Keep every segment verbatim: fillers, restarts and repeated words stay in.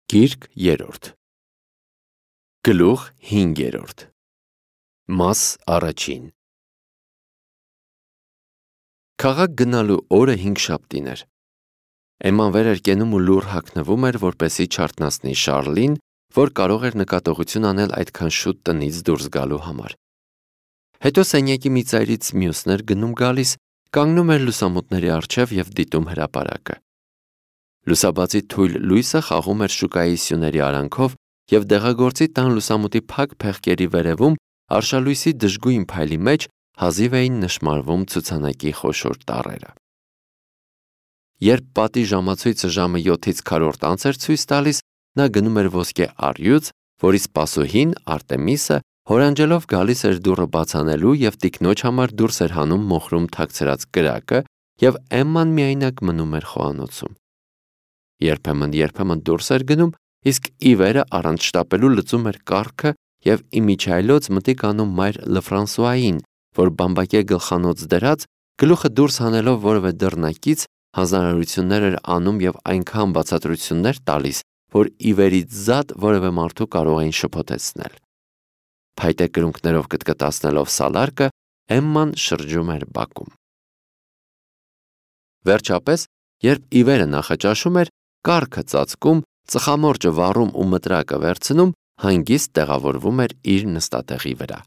Գիրք երրորդ Գլուխ հինգերորդ Մաս առաջին Քաղաք գնալու օրը հինգշաբթին էր։ Էմման վեր էր կենում ու լուռ հագնվում էր, որպեսզի չարթնացնի Շառլին, որ կարող էր նկատողություն անել այդքան շուտ տնից դուրս գալու համար։ Հետո սենյակի մի ծայրից մյուսն էր գնում գալիս, կանգնում էր լուսամուտների առջև և դիտում հրապարակը։ Լուսաբացի թույլ լույսը խաղում էր շուկայի սյուների արանքով և դեղագործի տան լուսամուտի փակ փեղկերի վերևում արշալույսի դժգույն փայլի մեջ հազիվ էին նշմարվում ցուցանակի խոշոր տառերը։ Երբ պատի ժամացույցը ժամը յոթից քառորդ անց էր ցույց տալիս, նա գնում էր ոսկե առյուծ, որի սպասուհին Արտեմիսը հորանջելով գալիս էր դուռը բաց անելու և տիկնոջ համար դուրս էր հանում մոխրում թաքցրած կրակը, և Էմման միայնակ մնում էր խոհանոցում։ Երբեմն-երբեմն դուրս էր գնում, իսկ ի վերը առանց շտապելու լուծում էր կառքը և իմիջիայլոց մտիկ անում մայր Լֆրանսուային, որ բամբակե գլխանոց դրած, գլուխը դուրս հանելով որևէ դռնակից, հանձնարարություններ էր անում և այնքան բացատրություններ տալիս, որ ի վերից զատ որևէ մարդու կարող էին շփոթեցնել։ Փայտե կրունկներով կտկտացնելով սալարկը, Էմման շրջում էր բակում։ Վերջապես, երբ ի վերը նախաճաշում էր, կառքը ծածկում, ծխամորճը վառում ու մտրակը վերցնում, հանգիստ տեղավորվում էր իր նստատեղի վրա։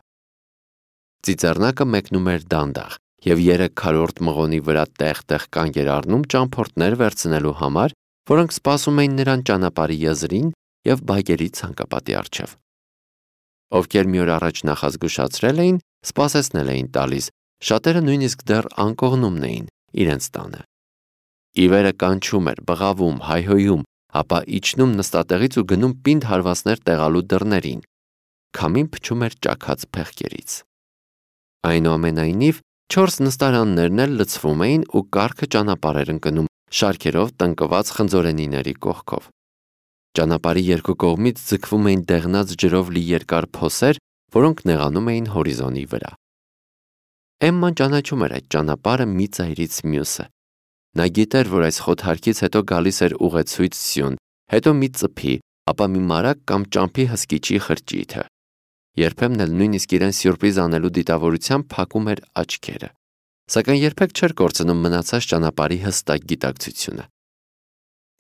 Ծիծեռնակը մեկնում էր դանդաղ, և երեք քառորդ մղոնի վրա տեղ-տեղ կանգ էր առնում ճամփորդներ վերցնելու համար, որոնք սպասում էին նրան ճանապարհի եզրին և բակերի ցանկապատի առջև։ Ովքեր մի օր առաջ նախազգուշացրել էին, սպասեցնել էին տալիս, շատերը նույնիսկ դեռ անկողնումն էին իրենց տանը։ Ի վերը կանչում էր, բղավում, հայհոյում, ապա իջնում նստատեղից ու գնում պինդ հարվածներ տեղալու դռներին։ Քամին փչում էր ճաքած փեղկերից։ Այնուամենայնիվ, չորս նստարաններն էլ լցվում էին ու կառքը ճանապարհ էր ընկնում շարքերով տնկված խնձորենիների կողքով։ Ճանապարհի երկու կողմից ձգվում էին դեղնած ջրով լի երկար փոսեր, որոնք նեղանում էին հորիզոնի վրա։ Էմման ճանաչում էր այդ ճանապարհը մի ծայրից մյուսը։ Նա գիտեր, որ այս խոթարքից հետո գալիս էր ուղեցույց սյուն, հետո մի ծփի, ապա մի մարակ կամ ճամփի հսկիչի խրճիթը։ Երբեմն էլ նույնիսկ իրեն սյուրպրիզ անելու դիտավորությամբ փակում էր աչքերը, սակայն երբեք չէր կորցնում մնացած ճանապարհի հստակ գիտակցությունը։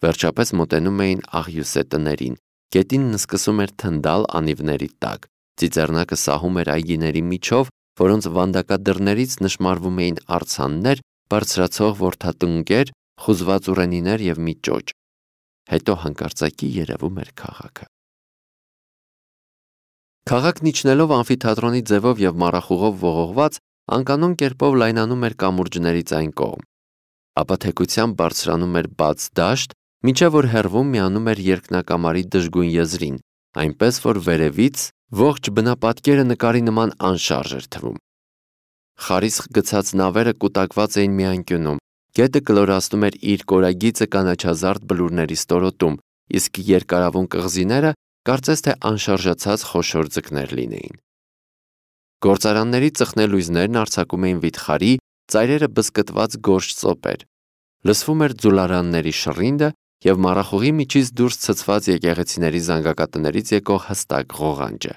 Վերջապես մոտենում էին աղյուսե տներին, գետինն սկսում էր թնդալ անիվների տակ, ծիծեռնակը սահում էր այգիների միջով, որոնց վանդակադռներից նշմարվում էին արձաններ, բարձրացող որդատնկեր, խուզված ուռենիներ և մի ճոճ։ Հետո հանկարծակի երևում էր քաղաքը։ Քաղաքն իջնելով ամֆիթատրոնի ձևով և մառախուղով ողողված, անկանոն կերպով լայնանում էր կամուրջներից այն կողմ։ Ապա թեքությամբ բարձրանում էր բաց դաշտ, մինչև որ հեռվում միանում էր երկնակամարի դժգույն եզրին, այնպես որ վերևից ողջ բնապատկերը նկարի նման անշարժ էր թվում։ Խարիսխ գցած նավերը կուտակված էին մի անկյունում, գետը կլորացնում էր իր կորագիծը կանաչազարդ բլուրների ստորոտում, իսկ երկարավուն կղզիները կարծես թե անշարժացած խոշոր ձկներ լինեին։ Գործարանների ծխնելույզներն արձակում էին վիթխարի, ծայրերը բզկտված գորշ ծոպեր։ Լսվում էր ձուլարանների շռինդը և մառախուղի միջից դուրս ցցված եկեղեցիների զանգակատներից եկող հստակ ղողանջը։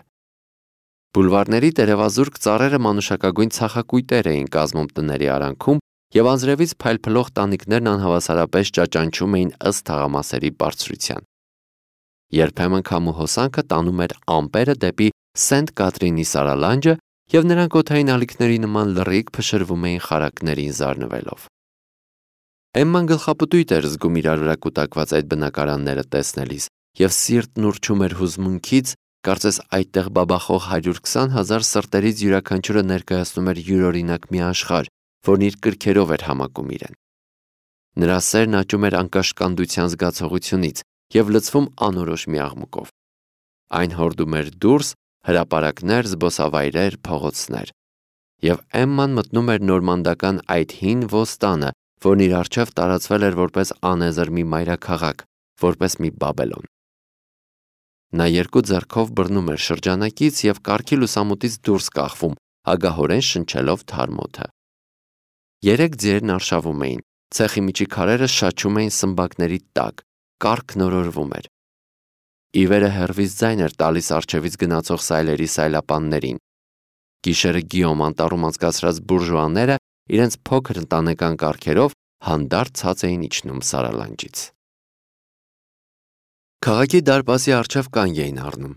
Բուլվարների տերևազուրկ ծառերը մանուշակագույն ցախակույտեր էին կազմում տների արանքում, և անձրևից փայլփլող տանիքներն անհավասարապես ճաճանչում էին ըստ թաղամասերի բարձրության։ Երբեմն քամու հոսանքը տանում էր ամպերը դեպի Սենտ Կատրինի սարալանջը, և նրանք օդային ալիքների նման լռիկ փշրվում էին խարակներին զարնվելով։ Էմման գլխապտույտ էր զգում իրար վրա կուտակված այդ բնակարանները տեսնելիս, և սիրտն ուռչում էր հուզմունքից, կարծես այդտեղ բաբախող հարյուր քսան հազար սրտերից յուրաքանչյուրը ներկայացնում էր յուրօրինակ մի աշխարհ, որն իր կրքերով էր համակում իրեն։ Նրա սերն աճում էր անկաշկանդության զգացողությունից և լցվում անորոշ մի աղմուկով։ Այն հորդում էր դուրս, հրապարակներ, զբոսավայրեր, փողոցներ։ Եվ Էմման մտնում էր նորմանդական այդ հին ոստանը, որն իր առջև տարածվել էր որպես անեզր մի մայրաքաղաք, որպես մի Բաբելոն։ Նա երկու ձեռքով բռնում էր շրջանակից և կառքի լուսամուտից դուրս կախվում, ագահորեն շնչելով թարմ օդը։ Երեք ձիերն արշավում էին, ցեխի միջի քարերը շաչում էին սմբակների տակ, կառքն օրորվում էր։ Իվերը հեռվից ձայն էր տալիս առջևից գնացող սայլերի սայլապաններին։ Գիշերը Գիոմ անտառում անցկացրած բուրժուաները իրենց փոքր ընտանեկան կառքերով հանդարտ ցած էին իջնում սարալանջից։ Քաղաքի դարպասի առջև կանգ էին առնում։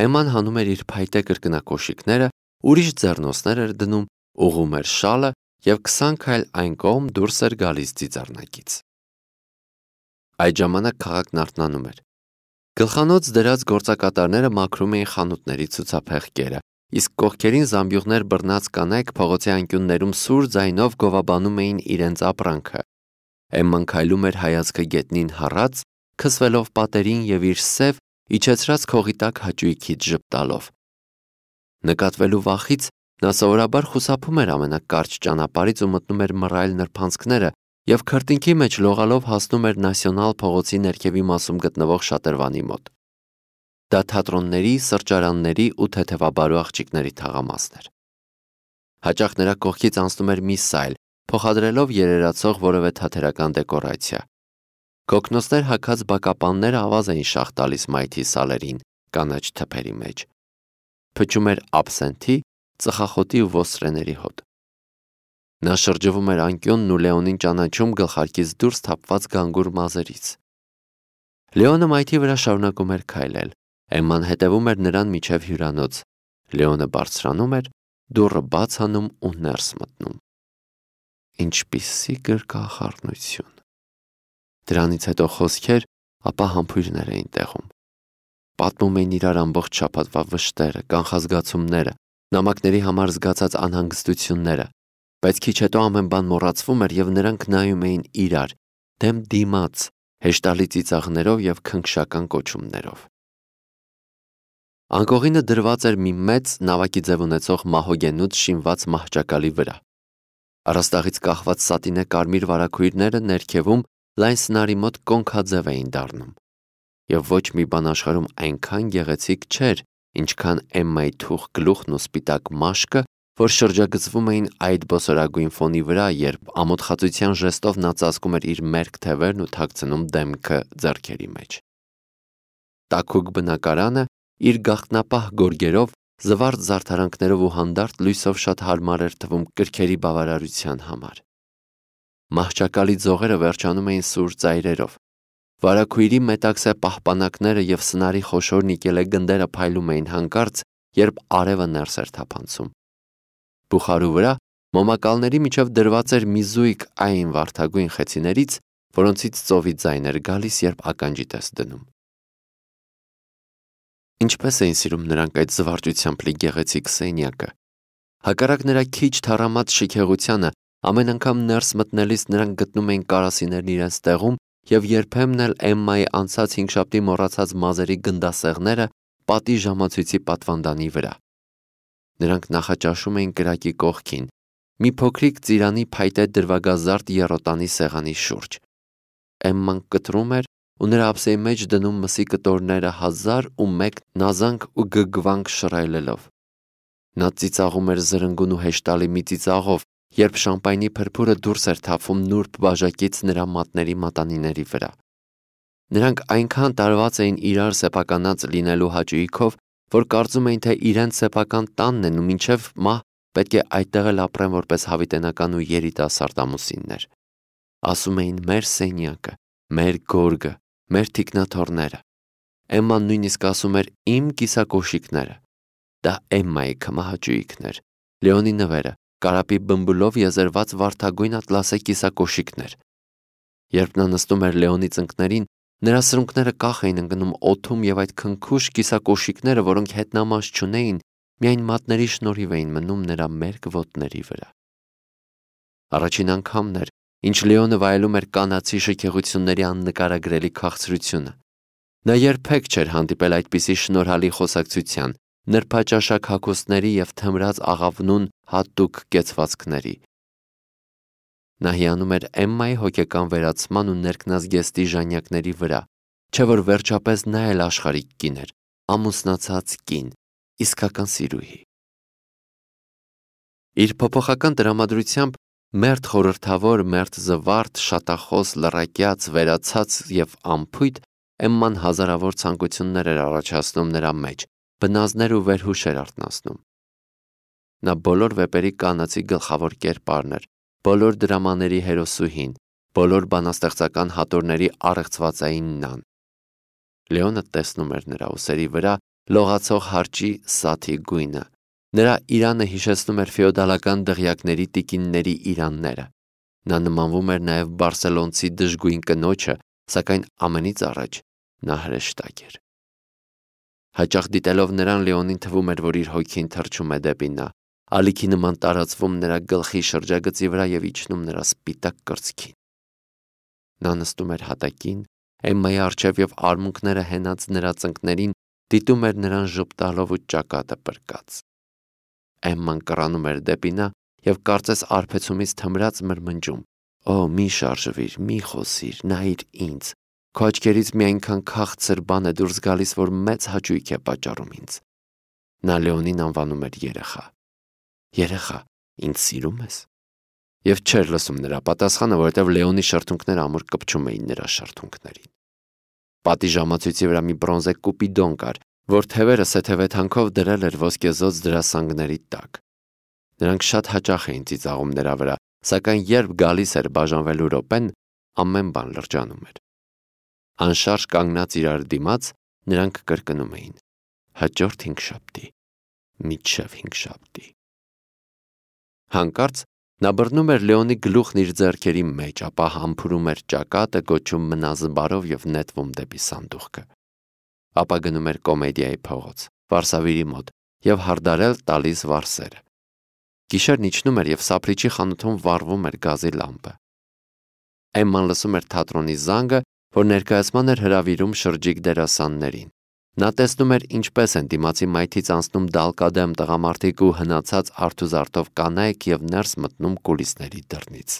Էմման հանում էր իր փայտե կրկնակոշիկները, ուրիշ ձեռնոցներ էր դնում, ուղղում էր շալը և քսան քայլ այն կողմ դուրս էր գալիս ծիծեռնակից։ Այդ ժամանակ քաղաքն արթնանում էր։ Գլխանոց դրած գործակատարները մաքրում էին խանութների ցուցափեղկերը, իսկ կողքերին զամբյուղներ բռնած կանայք փողոցի անկյուններում սուր ձայնով գովաբանում էին իրենց ապրանքը։ Էմման քայլում էր հայացքը գետնին հառած, քսվելով պատերին և իր սև, իջեցրած քողի տակ հաճույքից ժպտալով։ Նկատվելու վախից նա սովորաբար խուսափում էր ամենակարճ ճանապարհից ու մտնում էր մռայլ նրբանցքները և քրտինքի մեջ լողալով հասնում էր Նասիոնալ փողոցի ներքևի մասում գտնվող շատրվանի մոտ։ Դա թատրոնների, սրճարանների ու թեթևաբարու աղջիկների թաղամասն էր։ Հաճախ նրա կողքից անցնում էր մի սայլ, փոխադրելով երերացող որևէ թատերական դեկորացիա։ Կոկնոցներ հագած բակապանները ավազ էին շաղ տալիս մայթի սալերին, կանաչ թփերի մեջ։ Փչում էր աբսենթի, ծխախոտի ու ոստրեների հոտ։ Նա շրջվում էր անկյունն ու Լեոնին ճանաչում գլխարկից դուրս թափված գանգուր մազերից։ Լեոնը մայթի վրա շարունակում էր քայլել։ Էմման հետևում էր նրան մինչև հյուրանոց։ Լեոնը բարձրանում էր, դուռը բաց անում ու ներս մտնում։ Ինչպիսի գրկախառնություն։ Դրանից հետո խոսքեր, ապա համբույրներ էին տեղում։ Պատմում էին իրար ամբողջ շաբաթվա վշտերը, կանխազգացումները, նամակների համար զգացած անհանգստությունները, բայց քիչ հետո ամեն բան մոռացվում էր և նրանք նայում էին իրար, դեմ դիմաց, հեշտալի ծիծաղներով և քնքշական կոչումներով։ Անկողինը դրված էր մի մեծ նավակի ձև ունեցող մահոգենուց շինված մահճակալի վրա։ Առաստաղից կախված սատինե կարմիր վարագույրները ներքևում լայն սնարի մոտ կոնքաձև էին դառնում։ Եվ ոչ մի բան աշխարհում այնքան գեղեցիկ չէր, ինչքան Էմմայի թուխ գլուխն ու սպիտակ մաշկը, որ շրջագծվում էին այդ բոսորագույն ֆոնի վրա, երբ ամոթխածության ժեստով նա ծածկում էր իր մերկ թևերն ու թաքցնում դեմքը ձեռքերի մեջ։ Տաքուկ բնակարանը իր գաղտնապահ գորգերով, զվարթ զարդարանքներով ու հանդարտ լույսով շատ հարմար էր թվում կրքերի բավարարության համար։ Մահճակալի ձողերը վերջանում էին սուր ծայրերով։ Վարագույրի մետաքսե պահպանակները և սնարի խոշոր նիկելե գնդերը փայլում էին հանկարծ, երբ արևը ներս էր թափանցում։ Բուխարու վրա մոմակալների միջև դրված էր մի զույգ այն վարդագույն խեցիներից, որոնցից ծովի ձայն էր գալիս, երբ ականջիդ ես դնում։ Ինչպես էին սիրում նրանք այդ զվարճությամբ լի գեղեցիկ սենյակը։ Հակառակ նրա քիչ թառամած շքեղությանը, ամեն անգամ ներս մտնելիս նրանք գտնում էին կարասիներն իրենց տեղում և երբեմն էլ Էմմայի անցած հինգշաբթի մոռացած մազերի գնդասեղները պատի ժամացույցի պատվանդանի վրա։ Նրանք նախաճաշում էին կրակի կողքին, մի փոքրիկ ծիրանի փայտե դրվագազարդ եռոտանի սեղանի շուրջ։ Էմման կտրում էր ու նրա ափսեի մեջ դնում մսի կտորները հազար ու մեկ նազանք ու գգվանք շռայլելով։ Նա ծիծաղում էր զրնգուն ու հեշտալի մի ծիծաղով, երբ շամպայնի փրփուրը դուրս էր թափվում նուրբ բաժակից նրա մատների մատանիների վրա։ Նրանք այնքան տարված էին իրար սեփականած լինելու հաճույքով, որ կարծում էին, թե իրենց սեփական տանն են ու մինչև մահ պետք է այդտեղ էլ ապրեն որպես հավիտենական ու երիտասարդ ամուսիններ։ Ասում էին մեր սենյակը, մեր գորգը, մեր թիկնաթոռները։ Էմման նույնիսկ ասում էր իմ կիսակոշիկները։ Դա Էմմայի քմահաճույքն էր։ Լեոնի նվերը, կարապի բմբուլով եզերված վարդագույն ատլասե կիսակոշիկներ։ Երբ նա նստում էր Լեոնի ծնկներին, նրա սրունքները կախ էին ընկնում օդում և այդ քնքուշ կիսակոշիկները, որոնք հետնամաս չունեին, միայն մատների շնորհիվ էին մնում նրա մերկ ոտների վրա։ Առաջին անգամն էր, ինչ Լեոնը վայելում էր կանացի շքեղությունների աննկարագրելի քաղցրությունը։ Նա երբեք չէր հանդիպել այդպիսի շնորհալի խոսակցության, նրբաճաշակ հագուստների և թմրած աղավնուն հատուկ կեցվածքների։ Նա հիանում էր Էմմայի հոգեկան վերացման ու ներքնազգեստի ժանյակների վրա, չէ որ վերջապես նա էլ աշխարհիկ կին էր, ամուսնացած կին, իսկական սիրուհի։ Իր փոփոխական տրամադրությամբ մերթ խորհրդավոր, մերթ զվարթ, շատախոս, լռակյաց, վերացած և անփույթ, Էմման հազարավոր ցանկություններ էր առաջացնում նրա մեջ, բնազդներ ու վերհուշեր արթնացնում։ Նա բոլոր վեպերի կանացի գլխավոր կերպարն էր, բոլոր դրամաների հերոսուհին, բոլոր բանաստեղծական հատորների առեղծվածային նան։ Լեոնը տեսնում էր նրա ուսերի վրա լողացող հարճի սաթի գույնը, նրա իրանը հիշեցնում էր ֆեոդալական դղյակների տիկինների իրանները։ Նա նմանվում էր նաև բարսելոնցի դժգույն կնոջը, սակայն ամենից առաջ նա հրեշտակ էր։ Հաճախ դիտելով նրան Լեոնին թվում էր, որ իր հոգին թռչում է դեպի նա, ալիքի նման տարածվում նրա գլխի շրջագծի վրա և իջնում նրա սպիտակ կրծքին։ Նա նստում էր հատակին, Էմմայի առջև և արմունկները հենած նրա ծնկներին դիտում էր նրան ժպտալով ու ճակատը պրկած։ Էմման կռանում էր դեպի նա և կարծես արբեցումից թմրած մրմնջում. «Օ, մի շարժվիր, մի խոսիր, նայիր ինձ, քո աչքերից մի այնքան քաղցր բան է դուրս գալիս, որ մեծ հաճույք է պատճառում ինձ»։ Նա Լեոնին անվանում էր երեխա։ «Երեխա, ինձ սիրում ես»։ Եվ չէր լսում նրա պատասխանը, որովհետև Լեոնի շրթունքները ամուր կպչում էին նրա շրթունքներին։ Պատի ժամացույցի վրա մի բրոնզե կուպիդոն կար, որ թևերը սեթևեթանքով դրել էր ոսկեզօծ դրասանգների տակ։ Նրանք շատ հաճախ էին ծիծաղում նրա վրա, սակայն երբ գալիս էր բաժանվելու րոպեն, ամեն բան լրջանում էր։ Անշարժ կանգնած իրար դիմաց, նրանք կրկնում էին. «Հաջորդ հինգշաբթի, մինչև հինգշաբթի»։ Հանկարծ նա բռնում էր Լեոնի գլուխն իր ձեռքերի մեջ, ապա համբուրում էր ճակատը, գոչում մնազբարով և նետվում դեպի սանդուղքը։ Ապա գնում էր կոմեդիայի փողոց, վարսավիրի մոտ և հարդարել տալիս վարսերը։ Գիշերն իջնում էր և սափրիչի խանութում վառվում էր գազի լամպը։ Էմման լսում էր թատրոնի զանգը, որ ներկայացման էր հրավիրում շրջիկ դերասաններին։ Նա տեսնում էր ինչպես են դիմացի մայթից անցնում դալկադեմ տղամարդիկ ու հնացած արթուզարդով կանայք և ներս մտնում կուլիսների դռնից։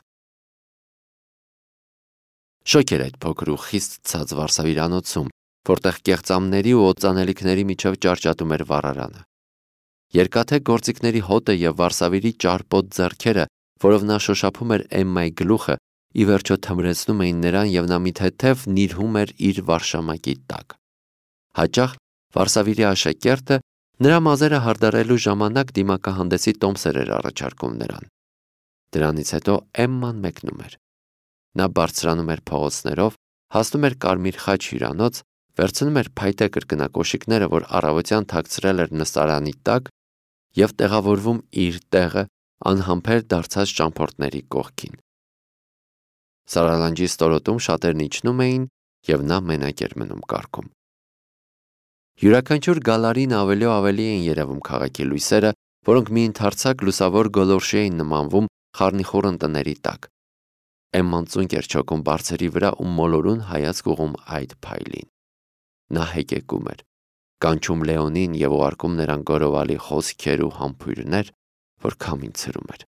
Շոգ էր այդ փոքր ու խիստ ցած վարսավիրանոցում, որտեղ կեղծամների ու օծանելիքների միջև ճարճատում էր վառարանը։ Երկաթե գործիքների հոտը և վարսավիրի ճարպոտ ձեռքերը, որով նա շոշափում էր Էմմայի գլուխը, ի վերջո թմրեցնում էին նրան և նա մի թեթև նիրհում էր իր վարշամակի տակ։ Հաճախ վարսավիրի աշակերտը նրա մազերը հարդարելու ժամանակ դիմակահանդեսի տոմսեր էր առաջարկում նրան։ Դրանից հետո Էմման մեկնում էր։ Նա բարձրանում էր փողոցներով, հասնում էր Կարմիր խաչ հյուրանոց, վերցնում էր փայտե կրկնակոշիկները, որ առավոտյան թաքցրել էր նստարանի տակ, և տեղավորվում իր տեղը անհամբեր դարձած ճամփորդների կողքին։ Սարալանջի ստորոտում շատերն իջնում էին, և նա մենակ էր մնում կառքում։ Յուրաքանչյուր գալարին ավելի ու ավելի էին երևում քաղաքի լույսերը, որոնք մի ընդարձակ լուսավոր գոլորշի էին նմանվում խառնիխուռն տների տակ։ Էմման ծունկ էր չոքում բարձերի վրա ու մոլորուն հայացք ուղղում այդ փայլին։ Նա հեկեկում էր, կանչում Լեոնին և ուղարկում նրան գորովալի խոսքեր ու համբույրներ, որ քամին ցրում էր։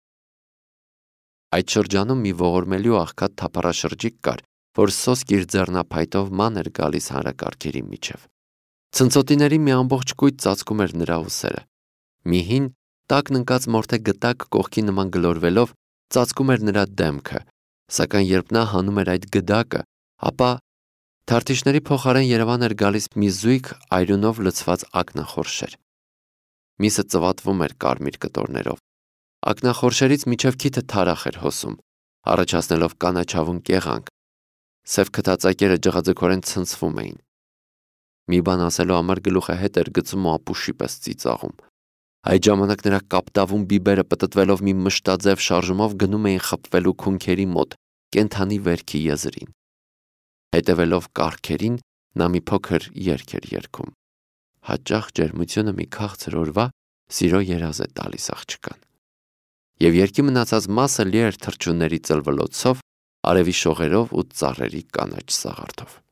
Այդ շրջանում մի ողորմելի ու աղքատ թափառաշրջիկ կար, որ սոսկ իր ձեռնափայտով ման էր գալիս հանրակարգերի միջև։ Ցնցոտիների մի ամբողջ կույտ ծածկում էր նրա ուսերը։ Մի հին, տակն ընկած մորթե գդակ կողքի նման գլորվելով ծածկում էր նրա դեմքը, սակայն երբ նա հանում էր այդ գդակը, ապա թարթիշների փոխարեն Երևան էր գալիս մի զույգ այրունով լցված ակնախորշեր։ Միսը ծվատվում էր կարմիր կտորներով։ Ակնախորշերից մինչև քիթը թարախ էր հոսում, առաջացնելով կանաչավուն կեղանք։ Սև քթածակերը ջղաձգորեն ցնցվում էին։ Մի բան ասելու համար գլուխը հետ էր գցում ու ապուշի պես ծիծաղում։ Այդ ժամանակ նրա կապտավուն բիբերը պտտվելով մի մշտաձև շարժումով գնում էին խփվելու քունքերի մոտ, կենդանի վերքի եզրին։ Հետևելով կառքերին, նա մի փոքր երգ էր երգում։ Հաճախ ջերմությունը մի քաղցր օրվա սիրո երազ է տալիս աղջկան։ Եվ երգի մնացած մասը լի էր թռչունների ծլվլոցով, արևի շողերով ու ծառերի կանաչ սաղարթով։